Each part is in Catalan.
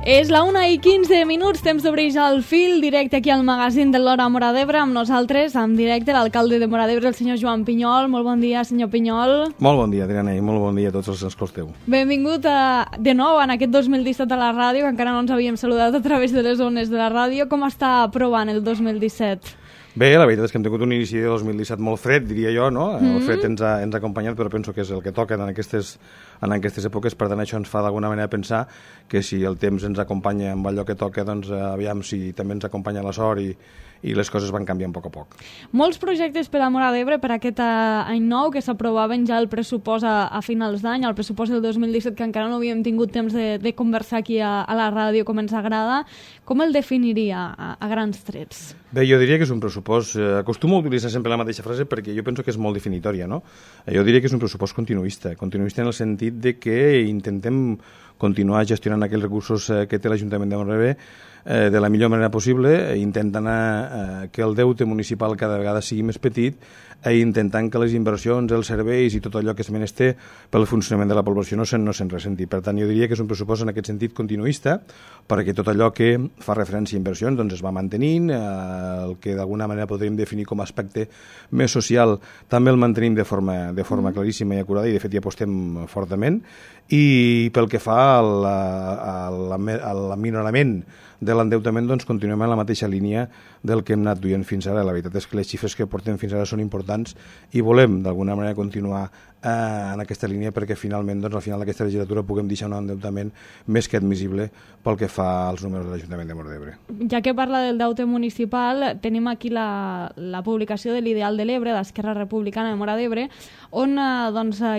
És la 1:15, temps d'obrir ja el fil, directe aquí al magazín de l'Hora Móra d'Ebre, amb nosaltres, en directe, l'alcalde de Móra d'Ebre, el senyor Joan Pinyol. Molt bon dia, senyor Pinyol. Molt bon dia, Adriana, i molt bon dia a tots els que escolteu. Benvingut de nou en aquest 2017 a la ràdio, que encara no ens havíem saludat a través de les ones de la ràdio. Com està provant el 2017? Bé, la veritat és que hem tingut un inici de 2017 molt fred, diria jo, no? El fred ens ha acompanyat, però penso que és el que toca en aquestes èpoques, per tant això ens fa d'alguna manera pensar que si el temps ens acompanya amb allò que toca, doncs aviam si també ens acompanya la sort i les coses van canviant a poc a poc. Molts projectes per a Móra d'Ebre per aquest any nou, que s'aprovaven ja el pressupost a finals d'any, el pressupost del 2017, que encara no havíem tingut temps de conversar aquí a la ràdio com ens agrada. Com el definiria a grans trets? Bé, jo diria que és un pressupost... Acostumo a utilitzar sempre la mateixa frase perquè jo penso que és molt definitòria, no? Jo diria que és un pressupost continuista en el sentit de que intentem continuar gestionant aquells recursos que té l'Ajuntament de Móra d'Ebre de la millor manera possible, intentant que el deute municipal cada vegada sigui més petit i intentant que les inversions, els serveis i tot allò que es menester pel funcionament de la població no se'n ressenti. Per tant, jo diria que és un pressupost en aquest sentit continuista, perquè tot allò que fa referència a inversions doncs es va mantenint, el que d'alguna manera podríem definir com a aspecte més social també el mantenim de forma claríssima i acurada, i de fet hi apostem fortament. I pel que fa al minorament de l'endeutament, doncs continuem en la mateixa línia del que hem anat duent fins ara. La veritat és que les xifres que portem fins ara són importants i volem d'alguna manera continuar en aquesta línia perquè finalment, doncs, al final d'aquesta legislatura puguem deixar un endeutament més que admissible pel que fa als números de l'Ajuntament de Móra d'Ebre. Ja que parla del deute municipal, tenim aquí la publicació de l'Ideal de l'Ebre, d'Esquerra Republicana de Móra d'Ebre, on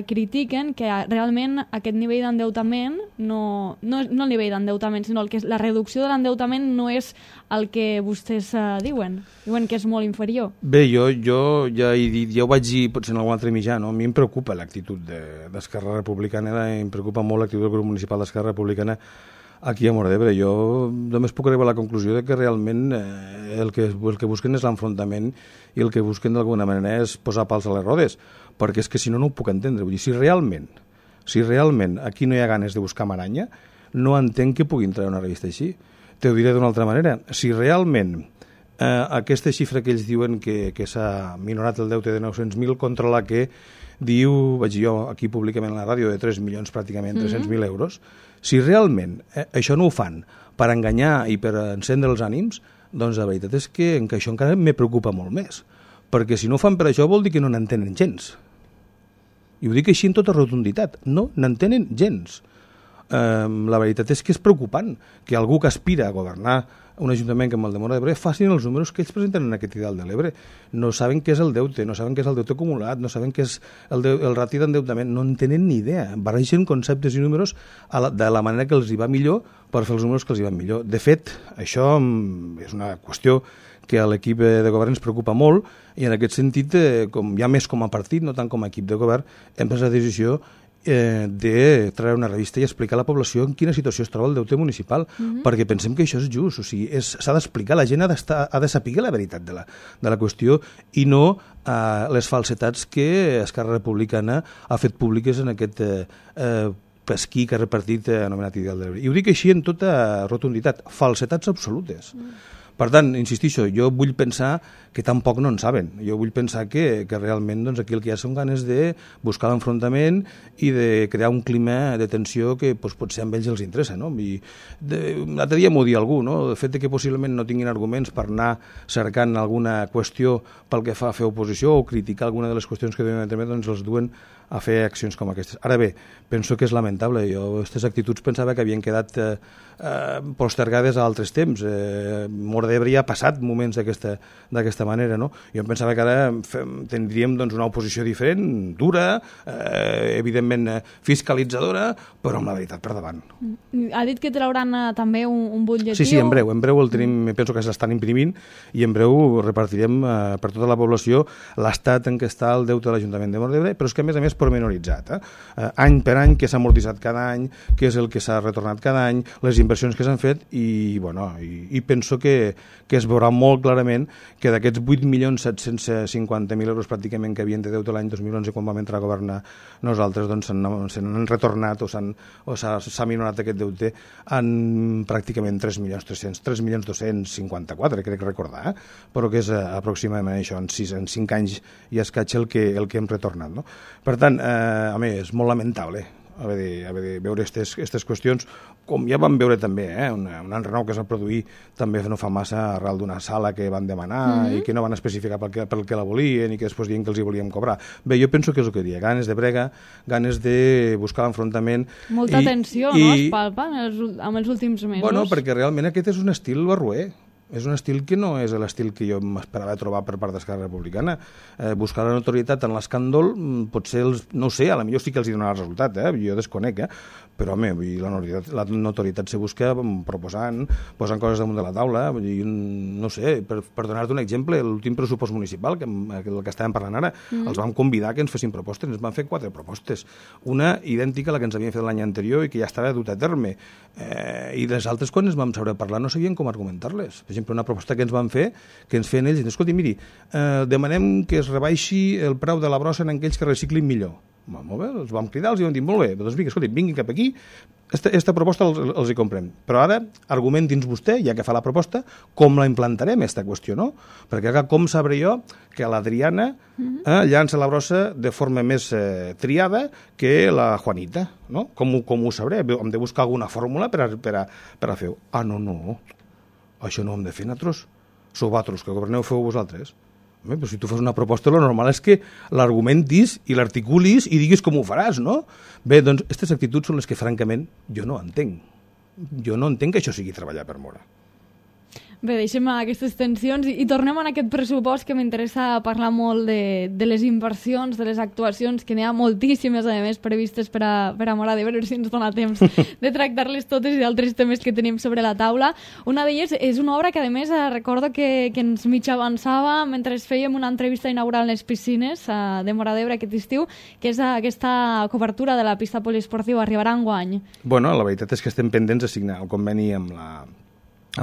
critiquen que realment aquest nivell d'endeutament, no el nivell d'endeutament, sinó que la reducció de l'endeutament no és el que vostès diuen. Diuen que és molt inferior. Bé, jo ja he dit, ja ho vaig dir potser en algun altre mitjà, no? A mi em preocupa l'actitud d'Esquerra Republicana, em preocupa molt l'actitud del grup municipal d'Esquerra Republicana aquí a Móra d'Ebre. Jo només puc arribar a la conclusió de que realment el que busquen és l'enfrontament i el que busquen d'alguna manera és posar pals a les rodes, perquè és que si no, no ho puc entendre. Vull dir, si realment aquí no hi ha ganes de buscar maranya, no entenc que puguin treure una revista així. Te ho diré d'una altra manera. Si realment aquesta xifra que ells diuen que s'ha minorat el deute de 900.000 contra la que diu, vaig dir jo aquí públicament a la ràdio, de 3 milions pràcticament, 300.000 euros, si realment això no ho fan per enganyar i per encendre els ànims, doncs la veritat és que això encara me preocupa molt més, perquè si no ho fan per això vol dir que no n'entenen gens. I ho dic així en tota rotunditat, no n'entenen gens. La veritat és que és preocupant que algú que aspira a governar un ajuntament com el de Móra d'Ebre facin els números que ells presenten en aquest Ideal de l'Ebre. No saben què és el deute, no saben què és el deute acumulat, no saben què és el rati d'endeutament, no en tenen ni idea. Barregen conceptes i números de la manera que els hi va millor per fer els números que els hi van millor. De fet, això és una qüestió que a l'equip de govern ens preocupa molt, i en aquest sentit, ja més com a partit, no tant com a equip de govern, hem pres la decisió de treure una revista i explicar a la població en quina situació es troba el deute municipal, perquè pensem que això és just, o sigui, s'ha d'explicar, la gent ha de saber la veritat de la qüestió i no les falsetats que Esquerra Republicana ha fet públiques en aquest pesquí que ha repartit anomenat Ideal de l'Ebre. I ho dic així en tota rotunditat, falsetats absolutes. Per tant, insistixo, jo vull pensar que tampoc no en saben. Jo vull pensar que realment doncs, aquí el que hi ha són ganes de buscar l'enfrontament i de crear un clima de tensió que potser a ells els interessa. No? L'altre dia m'ho dia algú, no? El fet que possiblement no tinguin arguments per anar cercant alguna qüestió pel que fa a fer oposició o criticar alguna de les qüestions que duen internet, doncs els duen a fer accions com aquestes. Ara bé, penso que és lamentable. Jo aquestes actituds pensava que havien quedat postergades a altres temps. Móra d'Ebre ja ha passat moments d'aquesta manera, no? Jo em pensava que ara tindríem doncs, una oposició diferent, dura, evidentment fiscalitzadora, però amb la veritat per davant. Ha dit que trauran també un butlletí? Sí, en breu el tenim, penso que s'estan imprimint, i en breu repartirem per tota la població l'estat en què està el deute de l'Ajuntament de Móra d'Ebre, però és que a més pormenoritzat, any per any, què s'ha amortitzat cada any, què és el que s'ha retornat cada any, les inversions que s'han fet, i penso que que es veurà molt clarament que d'aquests 8.750.000 euros pràcticament que havien de deute l'any 2011 quan vam entrar a governar nosaltres, doncs se n'han retornat o s'ha minorat aquest deute en pràcticament 3.254.000, crec recordar, però que és aproximadament això, en 5 anys i escaig el que hem retornat. No? Per tant, home, és molt lamentable haver de veure aquestes qüestions, com ja vam veure també, un enrenou que es va produir també no fa massa arrel d'una sala que van demanar i que no van especificar pel que la volien i que després diuen que els hi volíem cobrar. Bé, jo penso que és el que diria, ganes de brega, ganes de buscar l'enfrontament. Molta tensió, no?, es palpa amb els últims mesos. Bueno, perquè realment aquest és un estil barroer. És un estil que no és l'estil que jo m'esperava trobar per part d'Esquerra Republicana. Buscar la notorietat en l'escàndol, potser, no ho sé, a la millor sí que els hi donarà resultat, jo desconec, però home, la notorietat se busca posant coses damunt de la taula, no sé, per donar-te un exemple, l'últim pressupost municipal, el que estàvem parlant ara, els vam convidar que ens fessin propostes, ens van fer 4 propostes, una idèntica a la que ens havien fet l'any anterior i que ja estava dut a terme, i les altres quan ens vam saber parlar no sabien com argumentar-les. Per exemple, una proposta que ens van fer, que ens feien ells, escolti, miri, demanem que es rebaixi el preu de la brossa en aquells que reciclin millor. Molt bé, els vam cridar, els vam dir, molt bé, doncs vinga, escolti, vinguin cap aquí, aquesta proposta els hi comprem. Però ara, argumenti'ns vostè, ja que fa la proposta, com la implantarem, aquesta qüestió, no? Perquè com sabré jo que l'Adriana llança la brossa de forma més triada que la Juanita, no? Com ho sabré? Hem de buscar alguna fórmula per a fer-ho. No, això no ho hem de fer nosaltres. Sou vosaltres, que governeu, feu vosaltres. Però si tu fas una proposta, el normal és que l'argumentis i l'articulis i diguis com ho faràs, no? Bé, doncs, aquestes actituds són les que, francament, jo no entenc. Jo no entenc que això sigui treballar per Mora. Bé, deixem aquestes tensions i tornem a aquest pressupost que m'interessa parlar molt de les inversions, de les actuacions, que n'hi ha moltíssimes, a més, previstes per a Móra d'Ebre, si ens dona temps de tractar-les totes i d'altres temes que tenim sobre la taula. Una d'elles és una obra que, a més, recordo que ens mig avançava mentre fèiem una entrevista inaugural en les piscines de Móra d'Ebre aquest estiu, que és aquesta cobertura de la pista poliesportiva, arribarà enguany. Bueno, la veritat és que estem pendents de signar el conveni amb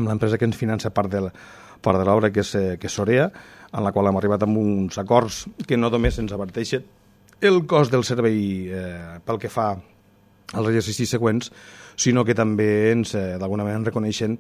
l'empresa que ens finança part de l'obra, que és Sorea, en la qual hem arribat amb uns acords que no només ens averteixen el cost del servei pel que fa als exercicis següents, sinó que també d'alguna manera ens reconeixen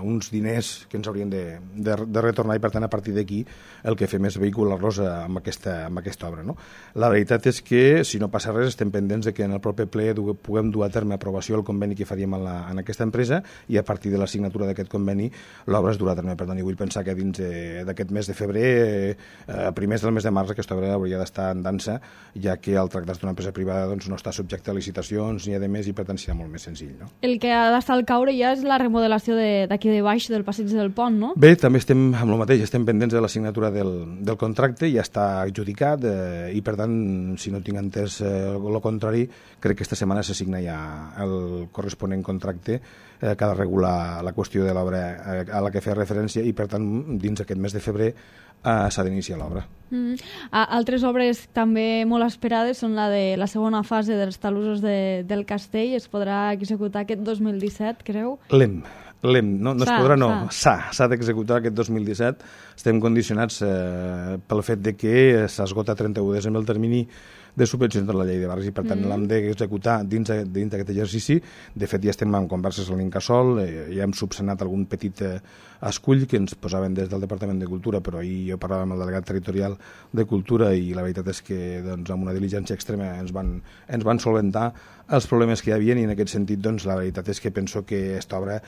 uns diners que ens haurien de retornar i, per tant, a partir d'aquí el que fem és vehicular-los amb aquesta obra. No? La veritat és que, si no passa res, estem pendents de que en el proper ple puguem dur a terme aprovació el conveni que faríem en aquesta empresa i a partir de la signatura d'aquest conveni l'obra es durà a terme. Per tant, i vull pensar que dins d'aquest mes de febrer, a primers del mes de març, aquesta obra hauria d'estar en dansa, ja que el tractat d'una empresa privada no està subjecte a licitacions ni a més i, per tant, serà molt més senzill. No? El que ha d'estar al caure ja és la remodelació d'aquí de baix, del passeig del pont, no? Bé, també estem amb el mateix, estem pendents de la signatura del contracte, ja està adjudicat i, per tant, si no tinc entès el contrari, crec que aquesta setmana se signa ja el corresponent contracte que ha de regular la qüestió de l'obra a la que feia referència i, per tant, dins aquest mes de febrer s'ha d'iniciar l'obra. Altres obres també molt esperades són la de la segona fase dels talussos del castell. Es podrà executar aquest 2017, creu? No es podrà, no. S'ha d'executar aquest 2017. Estem condicionats pel fet de que s'esgota 31 de desembre el termini de subvencions de la llei de barris i, per tant, l'hem d'executar dins d'aquest exercici. De fet, ja estem en converses amb l'Incasòl, ja hem subsanat algun petit escull que ens posaven des del Departament de Cultura, però ahir jo parlava amb el delegat territorial de Cultura i la veritat és que amb una diligència extrema ens van solventar els problemes que hi havia i en aquest sentit la veritat és que penso que aquesta obra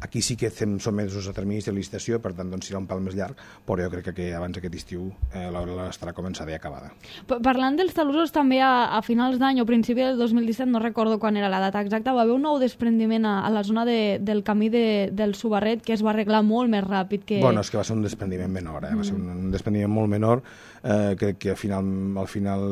aquí sí que som sotmesos a terminis de licitació, per tant serà un pal més llarg, però jo crec que abans d'aquest estiu l'obra estarà començada i acabada. Parlant dels talussos, també a finals d'any o principi del 2017, no recordo quan era la data exacta, va haver un nou desprendiment a la zona del camí del Subarret que es va arreglar molt més ràpid que... Bueno, és que va ser un desprendiment menor, va ser un desprendiment molt menor, crec que al final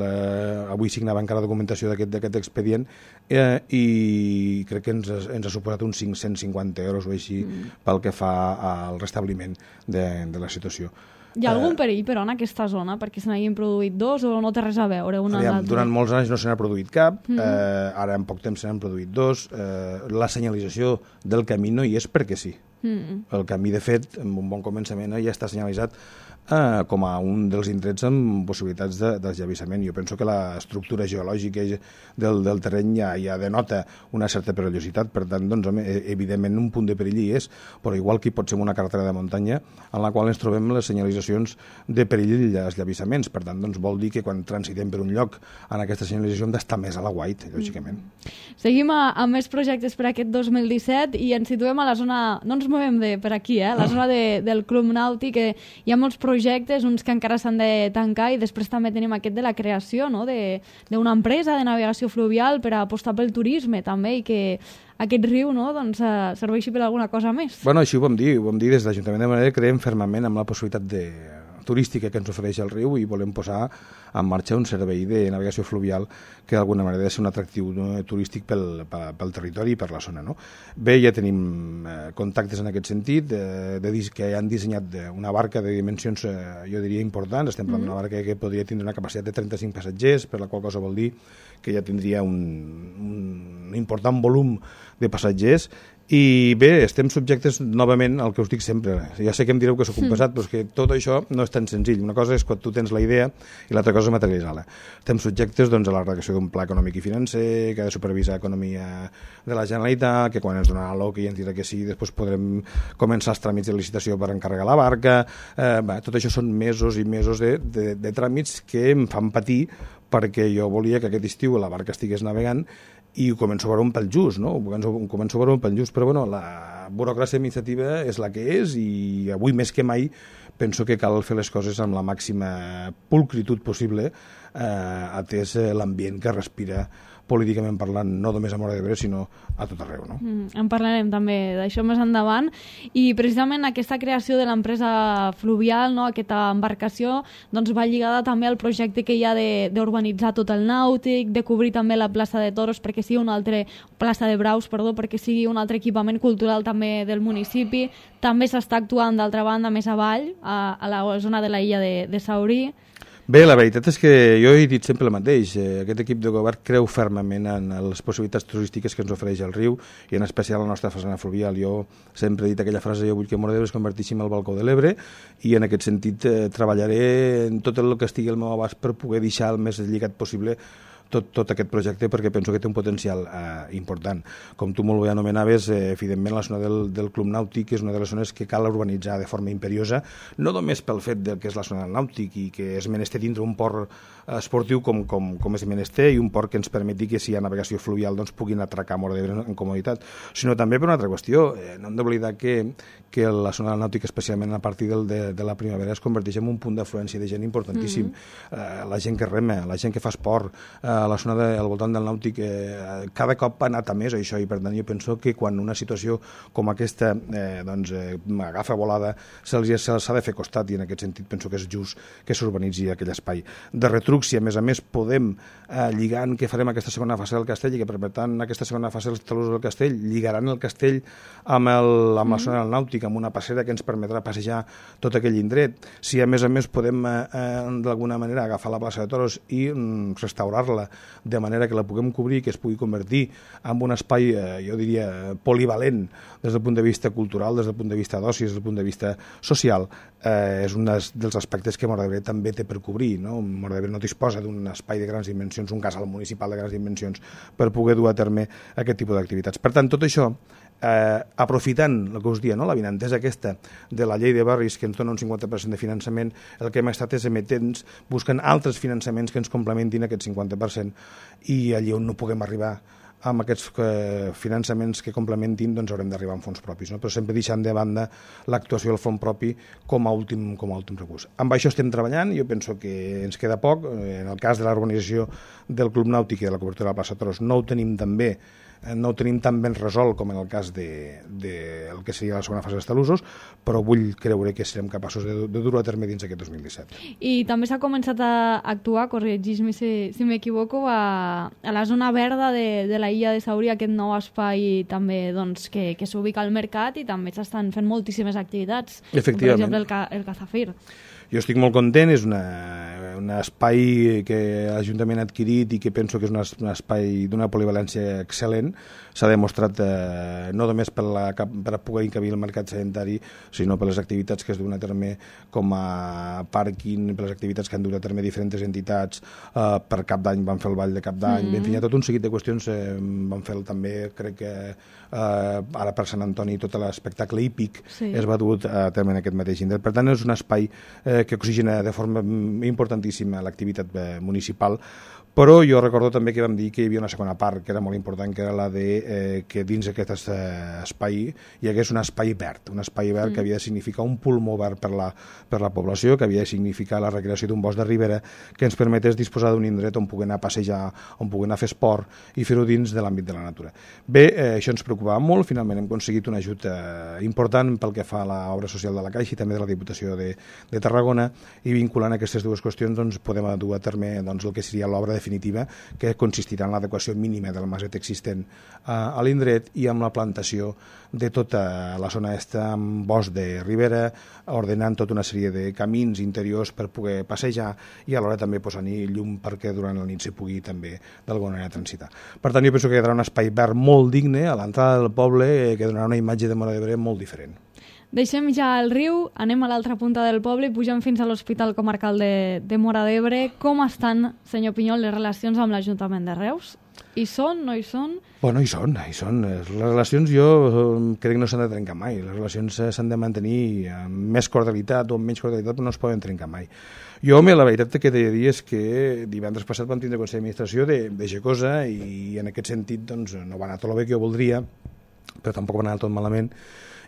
avui signava encara documentació d'aquest expedient i crec que ens ha suposat uns 550 euros o així pel que fa al restabliment de la situació. Hi ha algun perill, però, en aquesta zona, perquè se n'hagin produït dos o no té res a veure una amb l'altra? Durant molts anys no se n'ha produït cap, ara en poc temps se n'han produït dos. La senyalització del camí no hi és perquè sí. El camí, de fet, amb un bon començament, ja està senyalitzat com a un dels indrets amb possibilitats d'esllavissament. Jo penso que l'estructura geològica del terreny ja denota una certa perillositat, per tant, doncs, evidentment un punt de perill hi és, però igual que hi pot ser una carretera de muntanya en la qual ens trobem les senyalitzacions de perill i eslavissaments. Per tant, doncs, vol dir que quan transitem per un lloc en aquesta senyalització hem d'estar més a la white, lògicament. Seguim amb més projectes per aquest 2017 i ens situem a la zona, no ens movem per aquí, la zona del Club Nàutic, que hi ha molts projectes, uns que encara s'han de tancar, i després també tenim aquest de la creació, no?, d'una empresa de navegació fluvial per a apostar pel turisme també, i que aquest riu, no?, doncs, serveixi per alguna cosa més. Bueno, així ho vam dir des de l'Ajuntament de Monedero. Creiem fermament amb la possibilitat turística que ens ofereix el riu i volem posar en marxa un servei de navegació fluvial que d'alguna manera ha de ser un atractiu turístic pel territori i per la zona, no? Bé, ja tenim contactes en aquest sentit, que han dissenyat una barca de dimensions, jo diria, importants. Estem parlant d'una barca que podria tindre una capacitat de 35 passatgers, per la qual cosa vol dir que ja tindria un important volum de passatgers. I bé, estem subjectes novament al que us dic sempre. Ja sé que em direu que sóc un pesat, però és que tot això no és tan senzill. Una cosa és quan tu tens la idea i l'altra cosa és materialitzar-la. Estem subjectes, doncs, a la redacció d'un pla econòmic i financer que ha de supervisar economia de la Generalitat, que quan ens donarà l'OC i ens dirà que sí, després podrem començar els tràmits de licitació per encarregar la barca. Tot això són mesos i mesos de tràmits que em fan patir, perquè jo volia que aquest estiu la barca estigués navegant i ho començo a veure un pel just, no? Començo a veure un pel just, però bueno, la burocràcia administrativa és la que és, i avui més que mai penso que cal fer les coses amb la màxima pulcritud possible, atès l'ambient que respira políticament parlant, no només a Móra d'Ebre, sinó a tot arreu, no? En parlarem també d'això més endavant, i precisament aquesta creació de l'empresa fluvial, no?, aquesta embarcació, doncs va lligada també al projecte que hi ha d'urbanitzar tot el nàutic, de cobrir també la plaça de Toros perquè sigui plaça de Braus, perquè sigui un altre equipament cultural també del municipi. També s'està actuant, d'altra banda, més avall, a la zona de la illa de Saurí. Bé, la veritat és que jo he dit sempre el mateix. Aquest equip de govern creu fermament en les possibilitats turístiques que ens ofereix el riu, i en especial la nostra façana fluvial. Jo sempre he dit aquella frase: jo vull que Móra d'Ebre es converteixi en el balcó de l'Ebre, i en aquest sentit treballaré en tot el que estigui al meu abast per poder deixar el més lligat possible tot aquest projecte, perquè penso que té un potencial important. Com tu molt bé anomenaves, evidentment la zona del Club Nàutic és una de les zones que cal urbanitzar de forma imperiosa, no només pel fet que és la zona del nàutic i que és menester dintre un port esportiu com és menester, i un port que ens permeti que si hi ha navegació fluvial doncs puguin atracar a Móra d'Ebre en comoditat, sinó també per una altra qüestió. No hem d'oblidar que la zona del nàutic, especialment a partir de la primavera, es converteix en un punt d'afluència de gent importantíssim. La gent que rema, la gent que fa esport, la zona al voltant del nàutic cada cop ha anat a més això, i per tant jo penso que quan una situació com aquesta agafa volada s'ha de fer costat, i en aquest sentit penso que és just que s'urbanitzi aquell espai. De retruc, si a més podem lligant que farem aquesta segona fase del castell, i que per tant aquesta segona fase dels talussos del castell lligaran el castell amb la zona del nàutic, amb una passera que ens permetrà passejar tot aquell indret, si a més podem d'alguna manera agafar la plaça de Toros i restaurar-la de manera que la puguem cobrir, que es pugui convertir en un espai, jo diria, polivalent des del punt de vista cultural, des del punt de vista d'oci, des del punt de vista social, és un dels aspectes que Móra d'Ebre també té per cobrir, no? Móra d'Ebre no disposa d'un espai de grans dimensions, un casal municipal de grans dimensions per poder dur a terme aquest tipus d'activitats. Per tant, tot això, aprofitant el que us dia, no? La vinentesa aquesta de la llei de barris, que ens dona un 50% de finançament, el que hem estat és emetents, buscant altres finançaments que ens complementin aquest 50%, i allí on no puguem arribar amb aquests finançaments que complementin, doncs haurem d'arribar amb fons propis, no? Però sempre deixant de banda l'actuació del fons propi com a últim recurs. Amb això estem treballant, jo penso que ens queda poc. En el cas de l'organització del Club Nàutic i de la cobertura de la plaça Toros no ho tenim tan ben resolt com en el cas del que seria la segona fase dels talussos, però vull creure que serem capaços de dur-ho a terme dins aquest 2017. I també s'ha començat a actuar, corregeix-me si m'equivoco, a la zona verda de la illa de Saurí, aquest nou espai també doncs, que s'ubica al mercat, i també s'estan fent moltíssimes activitats, Efectivament. com per exemple el Cazafir. Jo estic molt content, és un espai que l'Ajuntament ha adquirit i que penso que és un espai d'una polivalència excel·lent. S'ha demostrat no només per poder encabir el mercat sedentari, sinó per les activitats que es duen a terme com a pàrquing, per les activitats que han dut a terme diferents entitats. Per Cap d'Any van fer el ball de Cap d'Any, en fi, hi ha tot un seguit de qüestions. Van fer també, crec que ara per Sant Antoni, tot l'espectacle hípic es va dur a terme en aquest mateix indret. Per tant, és un espai que oxigena de forma importantíssima l'activitat municipal, però jo recordo també que vam dir que hi havia una segona part que era molt important, que era la de que dins aquest espai hi hagués un espai verd que havia de significar un pulmó verd per la població, que havia de significar la recreació d'un bosc de ribera que ens permetés disposar d'un indret on poder anar a passejar, on poder anar a fer esport i fer-ho dins de l'àmbit de la natura. Bé, això ens preocupava molt, finalment hem aconseguit un ajut important pel que fa a l'obra social de la Caixa i també de la Diputació de Tarragona, i vinculant aquestes dues qüestions doncs, podem dur a terme doncs, el que seria l'obra definitiva, que consistirà en l'adequació mínima del maset existent a l'indret i amb la plantació de tota la zona esta amb bosc de ribera, ordenant tota una sèrie de camins interiors per poder passejar i alhora també posant-hi llum perquè durant la nit s'hi pugui també d'alguna manera transitar. Per tant, jo penso que quedarà un espai verd molt digne a l'entrada del poble que donarà una imatge de Móra d'Ebre molt diferent. Deixem ja el riu, anem a l'altra punta del poble i pugem fins a l'Hospital Comarcal de Móra d'Ebre. Com estan, senyor Pinyol, les relacions amb l'Ajuntament de Reus? Hi són, no hi són? Bueno, hi són. Les relacions jo crec que no s'han de trencar mai. Les relacions s'han de mantenir amb més cordialitat o amb menys cordialitat, però no es poden trencar mai. Jo, la veritat que t'he de dir és que divendres passat vam tindre Consell d'Administració de Gecosa i en aquest sentit doncs, no va anar tot el bé que jo voldria, però tampoc va anar tot malament.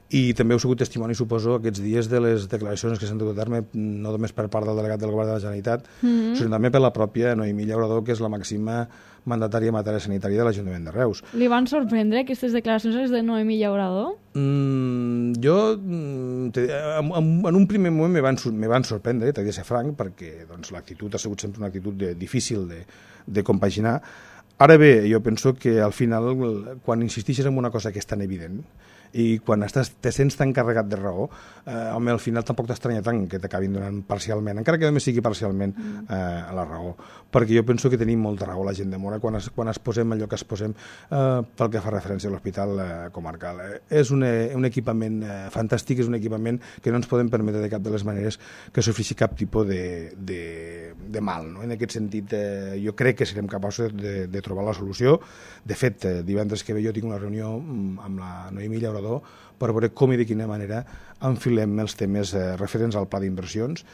I també heu sigut testimoni, suposo, aquests dies de les declaracions que s'han dut a terme, no només per part del delegat del Govern de la Generalitat, sinó també per la pròpia Noemí Llaurador, que és la màxima mandatària en matèria sanitària de l'Ajuntament de Reus. Li van sorprendre aquestes declaracions de Noemí Llaurador? Jo, en un primer moment me van sorprendre, t'he de ser franc, perquè doncs, l'actitud ha sigut sempre una actitud difícil de compaginar. Ara bé, jo penso que al final, quan insistixes en una cosa que és tan evident, i quan te sents tan carregat de raó, al final tampoc t'estranya tant que t'acabin donant parcialment, encara que només sigui parcialment la raó, perquè jo penso que tenim molta raó la gent de Móra quan es posem allò que es posem pel que fa referència a l'Hospital Comarcal. És un equipament fantàstic, és un equipament que no ens podem permetre de cap de les maneres que sofreixi cap tipus de mal, no? En aquest sentit, jo crec que serem capaços de trobar la solució. De fet, divendres que ve jo tinc una reunió amb la Noemí Llaurador per veure com i de quina manera enfilem els temes referents al pla d'inversions.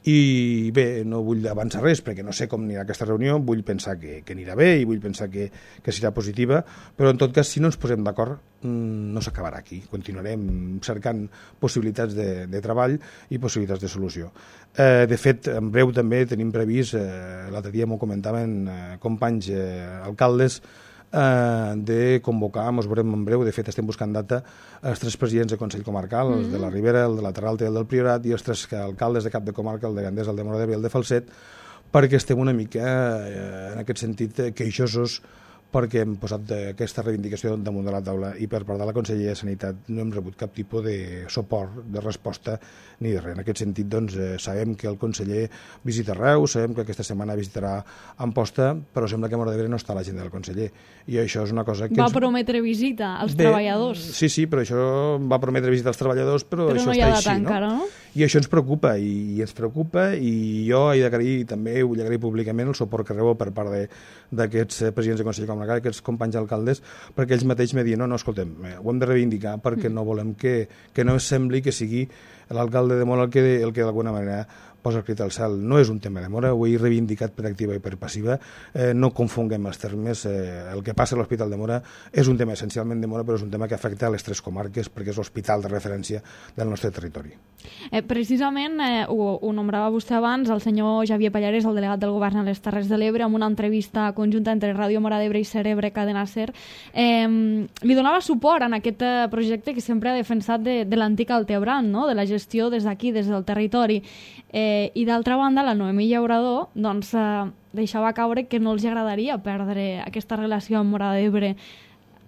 I bé, no vull avançar res perquè no sé com anirà aquesta reunió, vull pensar que anirà bé i vull pensar que serà positiva, però en tot cas, si no ens posem d'acord, no s'acabarà aquí. Continuarem cercant possibilitats de treball i possibilitats de solució. De fet, en breu també tenim previst, l'altre dia m'ho comentaven companys alcaldes, de convocar, ens veurem en breu, de fet estem buscant data, els 3 presidents del Consell Comarcal, els de la Ribera, el de la Terra Alta i el del Priorat, i els 3 alcaldes de cap de comarca, el de Gandés, el de Móra d'Ebre i el de Falset, perquè estem una mica, en aquest sentit, queixosos perquè hem posat aquesta reivindicació damunt de la taula i per part de la Conselleria de Sanitat no hem rebut cap tipus de suport, de resposta ni de res. En aquest sentit, doncs, sabem que el conseller visita Reus, sabem que aquesta setmana visitarà Amposta, però sembla que a Móra d'Ebre no està l'agenda del conseller. I això és una cosa que... Va prometre visita als treballadors. Sí, però això va prometre visita als treballadors, però això no està així, encara, no? I això ens preocupa, i ens preocupa, i jo he d'agrair, també vull agrair públicament el suport que rebeu per part d'aquests presidents de Consell Comarcal, aquests companys alcaldes, perquè ells mateixos me diuen, no, escoltem, ho hem de reivindicar perquè no volem que no sembli que sigui l'alcalde de Móra el que d'alguna manera posa el crit al cel. No és un tema de Móra, ho he reivindicat per activa i per passiva, no confonguem els termes, el que passa a l'Hospital de Móra és un tema essencialment de Móra, però és un tema que afecta a les 3 comarques perquè és l'hospital de referència del nostre territori. Precisament, ho nombrava vostè abans, el senyor Javier Pallares, el delegat del govern a les Terres de l'Ebre, amb una entrevista conjunta entre Ràdio Móra d'Ebre i Cerebre Cadena Ser, li donava suport en aquest projecte que sempre ha defensat de l'antic Altebran, no? De la gestió des d'aquí, des del territori. I d'altra banda, la Noemí Llaurador deixava caure que no els agradaria perdre aquesta relació amb Móra d'Ebre.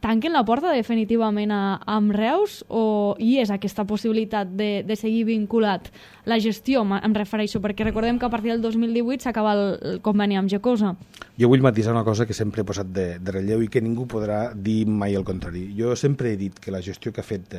tanquen la porta definitivament amb Reus o hi és aquesta possibilitat de seguir vinculat la gestió, em refereixo, perquè recordem que a partir del 2018 s'acaba el conveni amb Gecosa. Jo vull matisar una cosa que sempre he posat de relleu i que ningú podrà dir mai el contrari. Jo sempre he dit que la gestió que ha fet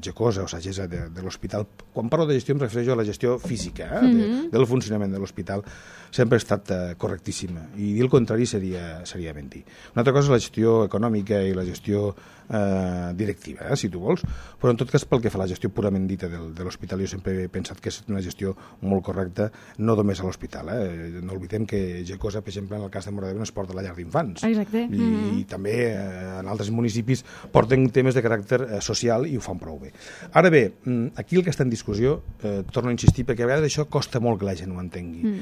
Gecosa o Sagessa de l'hospital, quan parlo de gestió em refereixo a la gestió física del funcionament de l'hospital, sempre ha estat correctíssima, i dir el contrari seria mentir. Una altra cosa és la gestió econòmica i la gestió directiva, si tu vols, però en tot cas pel que fa a la gestió purament dita de l'hospital jo sempre he pensat que és una gestió molt correcta, no només a l'hospital, no oblidem que Gecosa, per exemple, en el cas de Móra d'Ebre es porta a la llar d'infants. Exacte. I també en altres municipis porten temes de caràcter social i ho fan prou bé. Ara bé, aquí el que està en discussió, torno a insistir, perquè a vegades això costa molt que la gent ho entengui.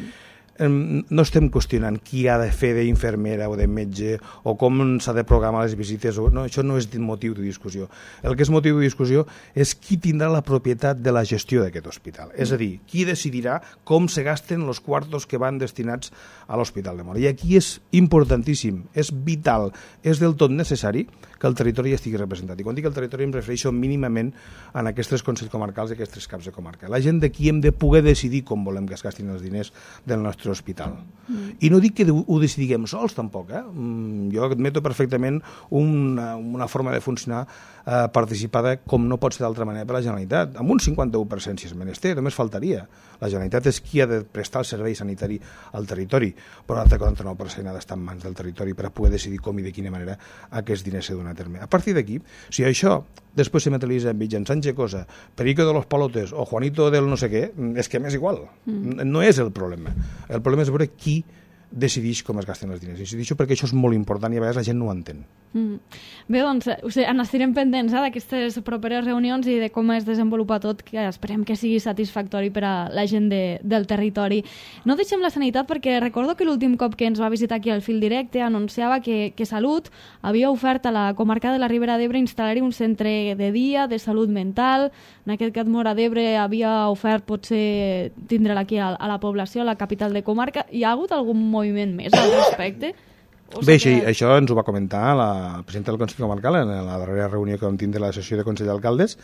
No estem qüestionant qui ha de fer d'infermera o de metge o com s'ha de programar les visites, no, això no és motiu de discussió. El que és motiu de discussió és qui tindrà la propietat de la gestió d'aquest hospital, és a dir, qui decidirà com se gasten els quartos que van destinats a l'Hospital de Móra. I aquí és importantíssim, és vital, és del tot necessari que el territori estigui representat. I quan dic el territori em refereixo mínimament en aquests consells comarcals i aquests caps de comarca. La gent d'aquí hem de poder decidir com volem que es gastin els diners del nostre hospital. I no dic que ho decidiguem sols, tampoc. Jo admeto perfectament una forma de funcionar participada com no pot ser d'altra manera per la Generalitat, amb un 51% si és menester, només faltaria. La Generalitat és qui ha de prestar el servei sanitari al territori, però l'altre 49% ha d'estar en mans del territori per a poder decidir com i de quina manera aquests diners s'ha donat a terme. A partir d'aquí, si això després se materialitza mitjançant Gecosa, Perico de los Palotes o Juanito del no sé què, és que m'és igual. No és el problema. El problema és veure qui decideix com es gasten els diners. Incideixo perquè això és molt important i a vegades la gent no ho entén. Bé, doncs, n'estarem pendents d'aquestes properes reunions i de com es desenvolupa tot, que esperem que sigui satisfactori per a la gent del territori. No deixem la sanitat perquè recordo que l'últim cop que ens va visitar aquí al Fil Directe anunciava que Salut havia ofert a la comarca de la Ribera d'Ebre instal·lar-hi un centre de dia de salut mental. En aquest cas, Móra d'Ebre havia ofert potser tindre'l aquí a la població, a la capital de comarca. Hi ha hagut algun moviment més al respecte? Bé, sí, això ens ho va comentar la presidenta del Consell Comarcal en la darrera reunió que vam tindre la sessió de Consell d'Alcaldes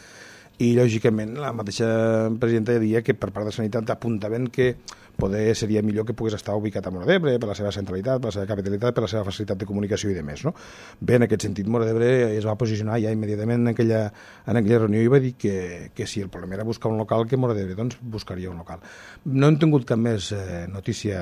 i, lògicament, la mateixa presidenta deia que per part de Sanitat apuntaven que poder seria millor que pogués estar ubicat a Móra d'Ebre per la seva centralitat, per la seva capitalitat, per la seva facilitat de comunicació i de més, no? Bé, en aquest sentit, Móra d'Ebre es va posicionar ja immediatament en aquella reunió i va dir que si el problema era buscar un local, que Móra d'Ebre doncs buscaria un local. No hem tingut cap més notícia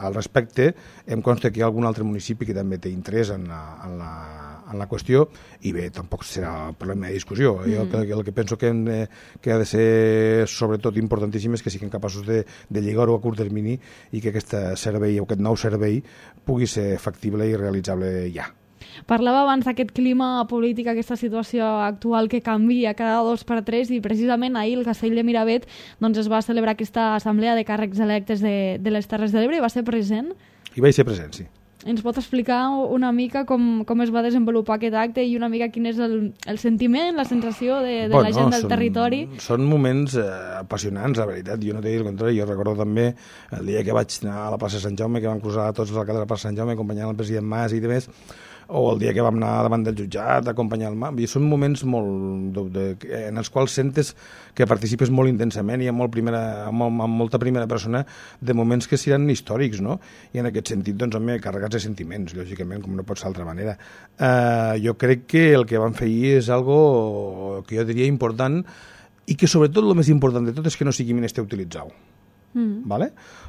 al respecte. Em consta que hi ha algun altre municipi que també té interès en la qüestió i bé, tampoc serà problema de discussió. Jo el que penso que ha de ser sobretot importantíssim és que siguin capaços de lligar-ho a curt termini i que aquest servei o aquest nou servei pugui ser factible i realitzable ja. Parlava abans d'aquest clima polític, aquesta situació actual que canvia cada 2 per 3 i precisament ahir el Castell de Miravet doncs es va celebrar aquesta assemblea de càrrecs electes de les Terres de l'Ebre i va ser present? Hi vaig ser present, sí. Ens pot explicar una mica com es va desenvolupar aquest acte i una mica quin és el sentiment, la sensació de la gent del territori? Són moments apassionants, la veritat. Jo no t'he dit el contrari. Jo recordo també el dia que vaig anar a la plaça Sant Jaume, que vam cruzar tots els alcaldes de la plaça Sant Jaume acompanyant el president Mas i demés, o el dia que vam anar davant del jutjat a acompanyar el MAP. I són moments en els quals sentes que participes molt intensament i amb molta primera persona de moments que seran històrics, no? I en aquest sentit, doncs, home, carregats de sentiments, lògicament, com no pot ser d'altra manera. Jo crec que el que vam fer ahir és algo que jo diria important i que, sobretot, el més important de tot és que no sigui menester utilitzar-ho. Vale?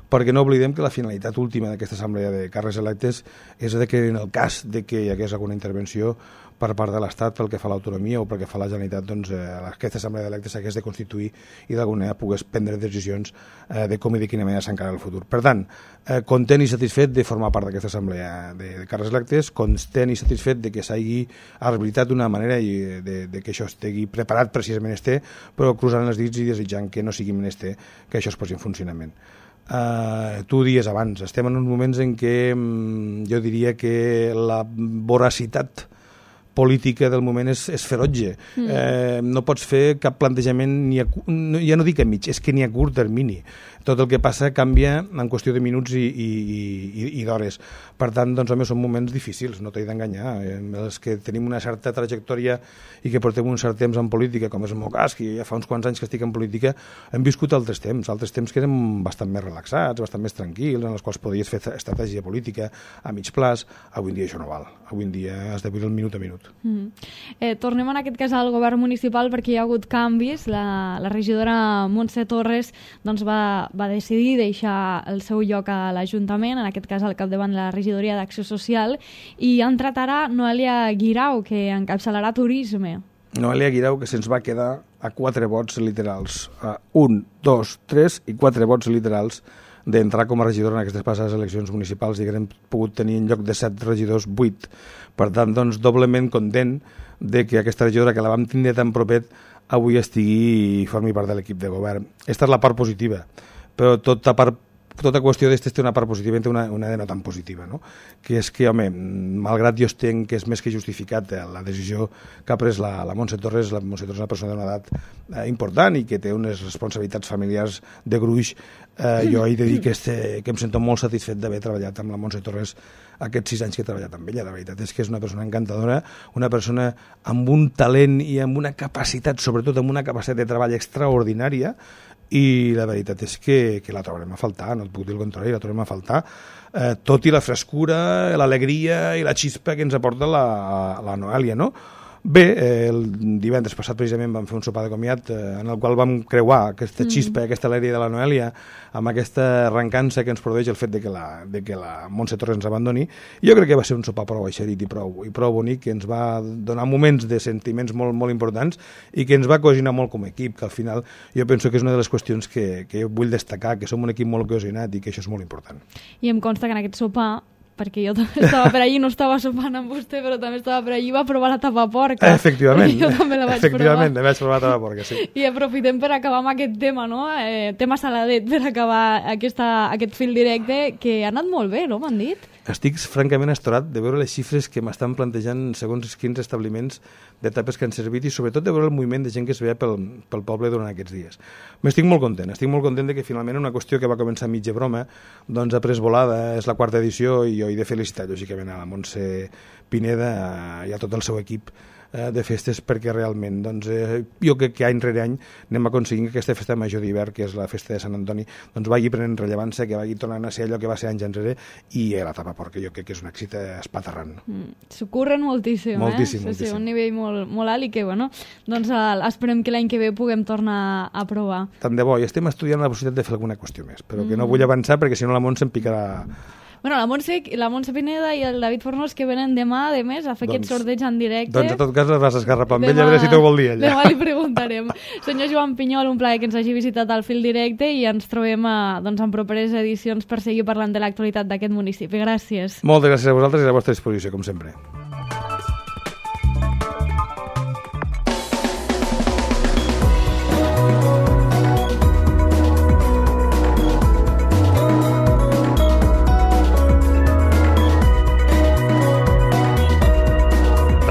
Perquè no oblidem que la finalitat última d'aquesta assemblea de càrrecs electes és que en el cas de que hi hagués alguna intervenció per part de l'Estat pel que fa a l'autonomia o pel que fa a la Generalitat, doncs aquesta assemblea d'electes s'hagués de constituir i d'alguna manera pogués prendre decisions de com i de quina manera s'encara el futur. Per tant, content i satisfet de formar part d'aquesta assemblea de càrrecs electes, content i satisfet de que s'hagi habilitat d'una manera i de que això estigui preparat per si és menester, però cruzant els dits i desitjant que no sigui menester que això es posi en funcionament. Tu dies abans, estem en uns moments en què jo diria que la voracitat política del moment és ferotge. No pots fer cap plantejament, ja no dic a mig, és que ni a curt termini. tot el que passa canvia en qüestió de minuts i d'hores. Per tant, doncs, home, són moments difícils, no t'he d'enganyar. Els que tenim una certa trajectòria i que portem un cert temps en política, com és el meu cas, que ja fa uns quants anys que estic en política, hem viscut altres temps que eren bastant més relaxats, bastant més tranquils, en els quals podies fer estratègia política a mig plaç. Avui en dia això no val. Avui en dia has de viure el minut a minut. Tornem en aquest cas al govern municipal perquè hi ha hagut canvis. La regidora Montse Torres doncs, va decidir deixar el seu lloc a l'Ajuntament, en aquest cas al capdavant de la regidoria d'Acció Social, i ha entrat ara Noelia Guirao, que encapçalarà Turisme. Noelia Guirao, que se'ns va quedar a 4 vots literals. 1, 2, 3 i 4 vots literals d'entrar com a regidora en aquestes passades eleccions municipals i que hem pogut tenir en lloc de 7 regidors 8. Per tant, doncs, doblement content de que aquesta regidora que la vam tindre tan propet avui estigui i formi part de l'equip de govern. Aquesta és la part positiva, però tota qüestió d'estes té una part positiva i té una de no tan positiva, no? Que és que, home, malgrat jo entenc que és més que justificat la decisió que ha pres la Montse Torres, la Montse Torres és una persona d'una edat important i que té unes responsabilitats familiars de gruix, jo he de dir que em sento molt satisfet d'haver treballat amb la Montse Torres aquests 6 anys que he treballat amb ella. La veritat és que és una persona encantadora, una persona amb un talent i amb una capacitat, sobretot amb una capacitat de treball extraordinària, i la veritat és que la trobarem a faltar, no et puc dir el contrari, la trobarem a faltar, tot i la frescura, l'alegria i la xispa que ens aporta la Noelia, no? Bé, el divendres passat precisament vam fer un sopar de comiat en el qual vam creuar aquesta xispa, aquesta alegria de la Noelia amb aquesta arrencança que ens produeix el fet de que la Montse Torres ens abandoni. Jo crec que va ser un sopar prou eixerit i prou bonic, que ens va donar moments de sentiments molt, molt importants i que ens va cohesionar molt com a equip, que al final jo penso que és una de les qüestions que vull destacar, que som un equip molt cohesionat i que això és molt important. I em consta que en aquest sopar, perquè jo també estava per allí, no estava sopant amb vostè, però també estava per allí, va provar la tapaporca. Efectivament. Jo també la vaig Efectivament, vaig provar la tapaporca, sí. I aprofitem per acabar amb aquest tema, no? Tema saladet, per acabar aquest fil directe, que ha anat molt bé, no? M'han dit. Estic francament estorat de veure les xifres que m'estan plantejant segons quins establiments d'etapes que han servit i sobretot de veure el moviment de gent que es veia pel poble durant aquests dies. Estic molt content de que finalment una qüestió que va començar mitja broma doncs ha pres volada, és la 4ª edició i jo he de felicitar lògicament a la Montse Pineda i a tot el seu equip de festes, perquè realment doncs, jo crec que any rere any anem aconseguint que aquesta festa major d'hivern, que és la festa de Sant Antoni, doncs vagi prenent rellevància, que vagi tornant a ser allò que va ser anys enrere, i la tapaporca jo crec que és un èxit espaterrant. S'ho curren moltíssim, moltíssim. Sí, un nivell molt, molt alt i que, bueno, doncs esperem que l'any que ve puguem tornar a provar. Tant de bo, i estem estudiant la possibilitat de fer alguna qüestió més, però que no vull avançar perquè si no la Montse em picarà. Bueno, la Montse Pineda i el David Fornós que venen demà, a més, a fer aquest sorteig en directe. Doncs a tot cas les vas esgarrapar amb ell, a veure si t'ho vol dir ella. Demà li preguntarem. Senyor Joan Pinyol, un plaer que ens hagi visitat al fil directe i ens trobem en properes edicions per seguir parlant de l'actualitat d'aquest municipi. Gràcies. Moltes gràcies a vosaltres i a la vostra disposició, com sempre.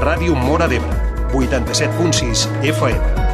Ràdio Móra d'Ebre, 87.6 FM.